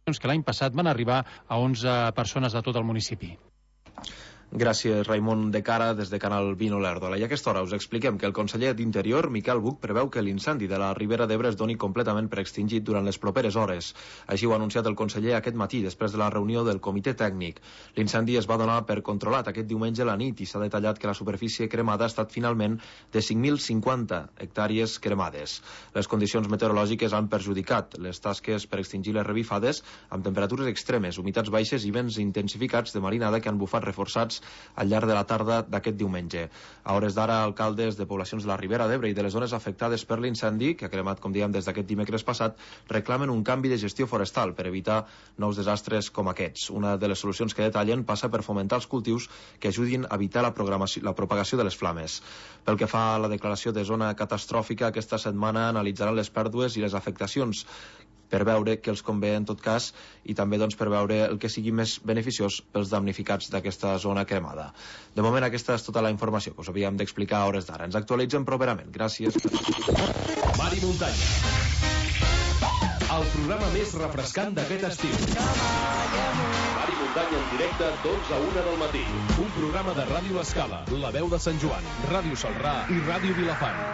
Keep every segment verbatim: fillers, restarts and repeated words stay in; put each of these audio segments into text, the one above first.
que l'any passat van arribar a onze persones de tot el municipi. Gràcies, Raimon de Cara, des de Canal vint Olèrdola. I a aquesta hora us expliquem que el conseller d'Interior, Miquel Buch, preveu que l'incendi de la Ribera d'Ebre es doni completament per extingit durant les properes hores. Així ho ha anunciat el conseller aquest matí, després de la reunió del comitè tècnic. L'incendi es va donar per controlat aquest diumenge a la nit i s'ha detallat que la superfície cremada ha estat finalment de cinc mil cinquanta hectàrees cremades. Les condicions meteorològiques han perjudicat les tasques per extingir les revifades amb temperatures extremes, humitats baixes i vents intensificats de marinada que han bufat reforçats al llarg de la tarda d'aquest diumenge. A hores d'ara, alcaldes de poblacions de la Ribera d'Ebre i de les zones afectades per l'incendi, que ha cremat, com dèiem, des d'aquest dimecres passat, reclamen un canvi de gestió forestal per evitar nous desastres com aquests. Una de les solucions que detallen passa per fomentar els cultius que ajudin a evitar la, la propagació de les flames. Pel que fa a la declaració de zona catastròfica, aquesta setmana analitzaran les pèrdues i les afectacions per veure què els convé en tot cas i també doncs, per veure el que sigui més beneficiós pels damnificats d'aquesta zona cremada. De moment aquesta és tota la informació que us havíem d'explicar a hores d'ara. Ens actualitzem properament. Gràcies. Mar i muntanya. El programa més refrescant d'aquest estiu. Mar i muntanya en directe, dotze a una del matí. Un programa de Ràdio L'Escala, La Veu de Sant Joan, Ràdio Salrà i Ràdio Vilafant.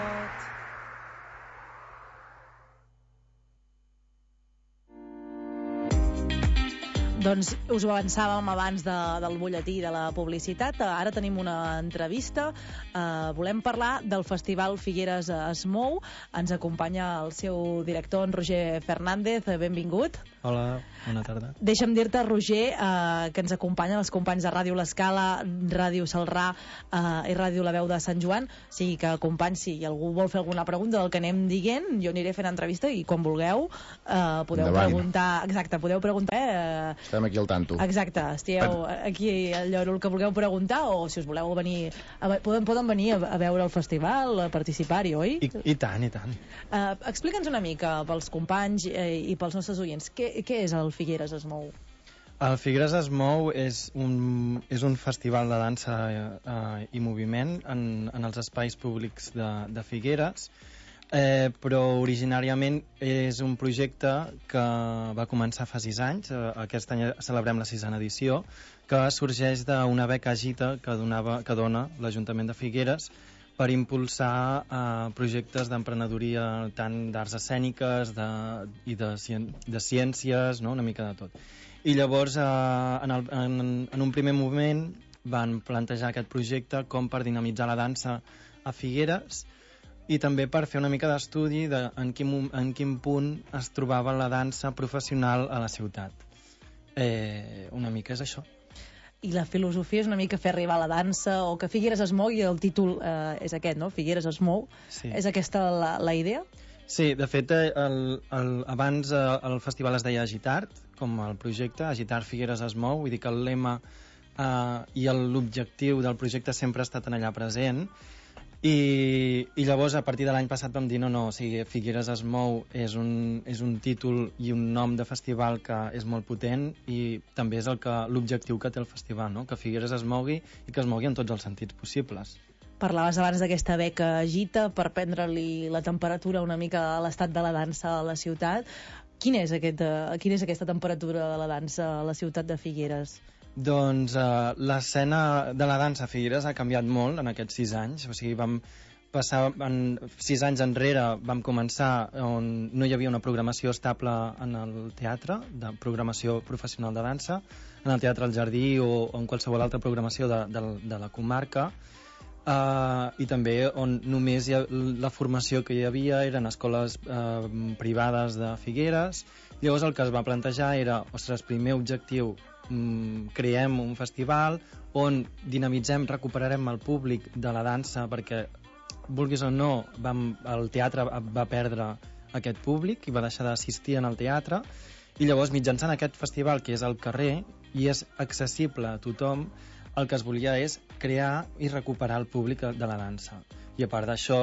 Doncs us ho avançàvem abans de, del butlletí de la publicitat. Ara tenim una entrevista. Uh, volem parlar del Festival Figueres es Mou. Ens acompanya el seu director, en Roger Fernández. Benvingut. Hola, bona tarda. Deixa'm dir-te, Roger, uh, que ens acompanyen els companys de Ràdio L'Escala, Ràdio Salrà uh, i Ràdio La Veu de Sant Joan. O sigui que, companys, si algú vol fer alguna pregunta del que anem dient, jo aniré fent entrevista i quan vulgueu uh, podeu Endavant. preguntar. Exacte, podeu preguntar. Uh, Estem aquí al tanto. Exacte, estigueu aquí al lloro el que vulgueu preguntar, o si us voleu venir a, poden, poden venir a, a veure el festival, a participar-hi, oi? I, i tant, i tant. Uh, Explica'ns una mica pels companys eh, i pels nostres oients, què, què és el Figueres es Mou? El Figueres es Mou és un, és un festival de dansa eh, i moviment en, en els espais públics de, de Figueres. Eh, però originàriament és un projecte que va començar fa sis anys, eh, aquest any celebrem la sisena edició, que sorgeix d'una beca Agita que, donava, que dona l'Ajuntament de Figueres per impulsar eh, projectes d'emprenedoria tant d'arts escèniques de, i de, de ciències, no? Una mica de tot. I llavors eh, en, el, en, en un primer moment van plantejar aquest projecte com per dinamitzar la dansa a Figueres i també per fer una mica d'estudi de en quin, en quin punt es trobava la dansa professional a la ciutat. Eh, una mica és això. I la filosofia és una mica fer arribar la dansa, o que Figueres es mou, i el títol eh, és aquest, no? Figueres es mou. Sí. És aquesta la, la idea? Sí, de fet, el, el, abans el festival es deia Agitart, com el projecte, Agitart Figueres es mou, vull dir que el lema eh, i l'objectiu del projecte sempre ha estat en allà present. I, i llavors a partir de l'any passat vam dir no, no, o sigui, Figueres es Mou és un, és un títol i un nom de festival que és molt potent i també és el que l'objectiu que té el festival, no? Que Figueres es mogui i que es mogui en tots els sentits possibles. Parlaves abans d'aquesta beca Agita per prendre-li la temperatura una mica a l'estat de la dansa a la ciutat. Quina és, aquest, quina és aquesta temperatura de la dansa a la ciutat de Figueres? Doncs uh, l'escena de la dansa a Figueres ha canviat molt en aquests sis anys. O sigui, vam passar en, sis anys enrere vam començar on no hi havia una programació estable en el teatre, de programació professional de dansa, en el Teatre al Jardí o, o en qualsevol altra programació de, de, de la comarca. Uh, i també on només hi ha, la formació que hi havia eren escoles uh, privades de Figueres. Llavors el que es va plantejar era, ostres, primer objectiu, mm, creem un festival on dinamitzem, recuperarem el públic de la dansa, perquè vulguis o no vam, el teatre va perdre aquest públic i va deixar d'assistir en el teatre, i llavors mitjançant aquest festival que és al carrer i és accessible a tothom, el que es volia és crear i recuperar el públic de la dansa. I a part d'això